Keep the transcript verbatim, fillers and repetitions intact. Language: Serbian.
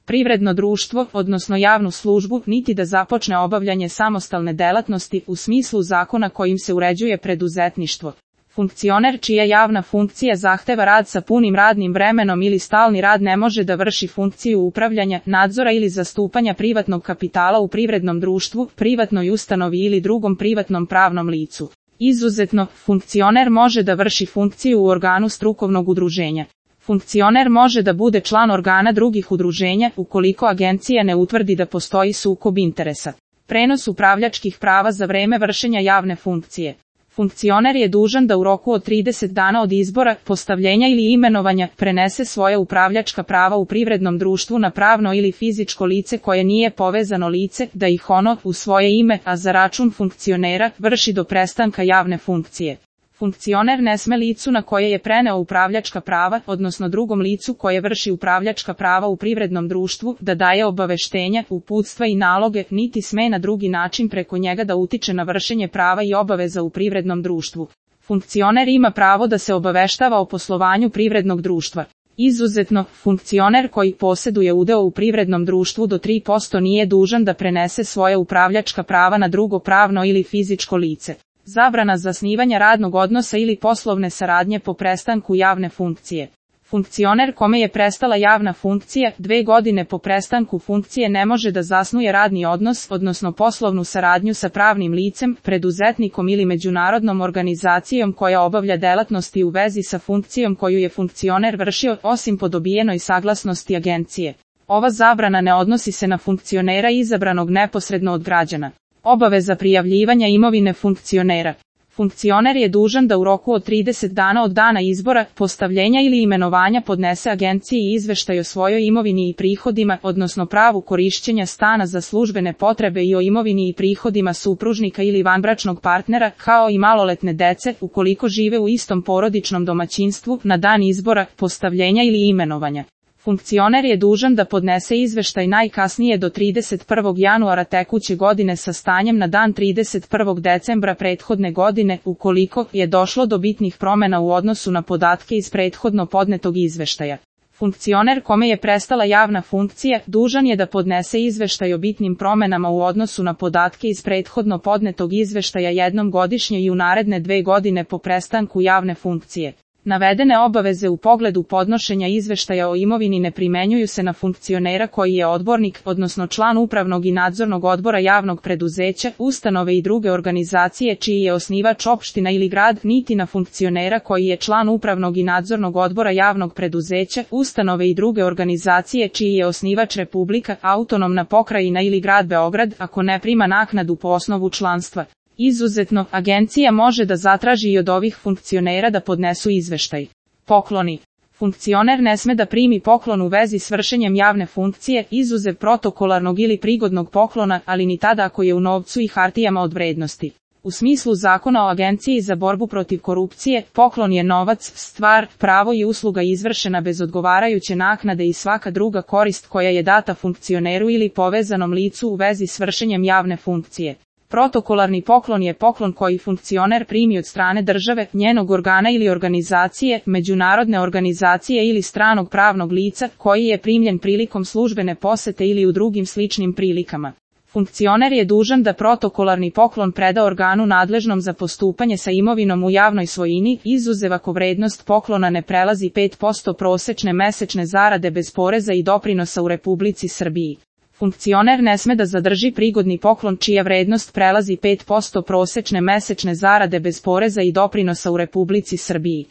privredno društvo, odnosno javnu službu, niti da započne obavljanje samostalne delatnosti u smislu zakona kojim se uređuje preduzetništvo. Funkcioner čija javna funkcija zahteva rad sa punim radnim vremenom ili stalni rad ne može da vrši funkciju upravljanja, nadzora ili zastupanja privatnog kapitala u privrednom društvu, privatnoj ustanovi ili drugom privatnom pravnom licu. Izuzetno, funkcioner može da vrši funkciju u organu strukovnog udruženja. Funkcioner može da bude član organa drugih udruženja ukoliko agencija ne utvrdi da postoji sukob interesa. Prenos upravljačkih prava za vreme vršenja javne funkcije. Funkcioner je dužan da u roku od trideset dana od izbora, postavljenja ili imenovanja prenese svoja upravljačka prava u privrednom društvu na pravno ili fizičko lice koje nije povezano lice, da ih ono, u svoje ime, a za račun funkcionera, vrši do prestanka javne funkcije. Funkcioner ne sme licu na koje je preneo upravljačka prava, odnosno drugom licu koje vrši upravljačka prava u privrednom društvu, da daje obaveštenja, uputstva i naloge, niti sme na drugi način preko njega da utiče na vršenje prava i obaveza u privrednom društvu. Funkcioner ima pravo da se obaveštava o poslovanju privrednog društva. Izuzetno, funkcioner koji posjeduje udeo u privrednom društvu do tri posto nije dužan da prenese svoje upravljačka prava na drugo pravno ili fizičko lice. Zabrana zasnivanja radnog odnosa ili poslovne saradnje po prestanku javne funkcije. Funkcioner kome je prestala javna funkcija, dve godine po prestanku funkcije ne može da zasnuje radni odnos, odnosno poslovnu saradnju sa pravnim licem, preduzetnikom ili međunarodnom organizacijom koja obavlja delatnosti u vezi sa funkcijom koju je funkcioner vršio, osim po dobijenoj saglasnosti agencije. Ova zabrana ne odnosi se na funkcionera izabranog neposredno od građana. Obaveza prijavljivanja imovine funkcionera. Funkcioner je dužan da u roku od trideset dana od dana izbora, postavljenja ili imenovanja podnese agenciji izveštaj o svojoj imovini i prihodima, odnosno pravu korišćenja stana za službene potrebe i o imovini i prihodima supružnika ili vanbračnog partnera, kao i maloletne dece, ukoliko žive u istom porodičnom domaćinstvu, na dan izbora, postavljenja ili imenovanja. Funkcioner je dužan da podnese izveštaj najkasnije do trideset prvog januara tekuće godine sa stanjem na dan trideset prvog decembra prethodne godine, ukoliko je došlo do bitnih promjena u odnosu na podatke iz prethodno podnetog izveštaja. Funkcioner kome je prestala javna funkcija, dužan je da podnese izveštaj o bitnim promjenama u odnosu na podatke iz prethodno podnetog izveštaja jednom godišnje i u naredne dve godine po prestanku javne funkcije. Navedene obaveze u pogledu podnošenja izveštaja o imovini ne primenjuju se na funkcionera koji je odbornik, odnosno član upravnog i nadzornog odbora javnog preduzeća, ustanove i druge organizacije čiji je osnivač opština ili grad, niti na funkcionera koji je član upravnog i nadzornog odbora javnog preduzeća, ustanove i druge organizacije čiji je osnivač Republika, autonomna pokrajina ili grad Beograd, ako ne prima naknadu po osnovu članstva. Izuzetno, agencija može da zatraži i od ovih funkcionera da podnesu izveštaj. Pokloni. Funkcioner ne sme da primi poklon u vezi s vršenjem javne funkcije, izuzev protokolarnog ili prigodnog poklona, ali ni tada ako je u novcu i hartijama od vrednosti. U smislu Zakona o Agenciji za borbu protiv korupcije, poklon je novac, stvar, pravo i usluga izvršena bez odgovarajuće naknade i svaka druga korist koja je data funkcioneru ili povezanom licu u vezi s vršenjem javne funkcije. Protokolarni poklon je poklon koji funkcioner primi od strane države, njenog organa ili organizacije, međunarodne organizacije ili stranog pravnog lica, koji je primljen prilikom službene posete ili u drugim sličnim prilikama. Funkcioner je dužan da protokolarni poklon preda organu nadležnom za postupanje sa imovinom u javnoj svojini, izuzev ako vrednost poklona ne prelazi pet posto prosečne mesečne zarade bez poreza i doprinosa u Republici Srbiji. Funkcioner ne sme da zadrži prigodni poklon čija vrednost prelazi pet posto prosečne mesečne zarade bez poreza i doprinosa u Republici Srbiji.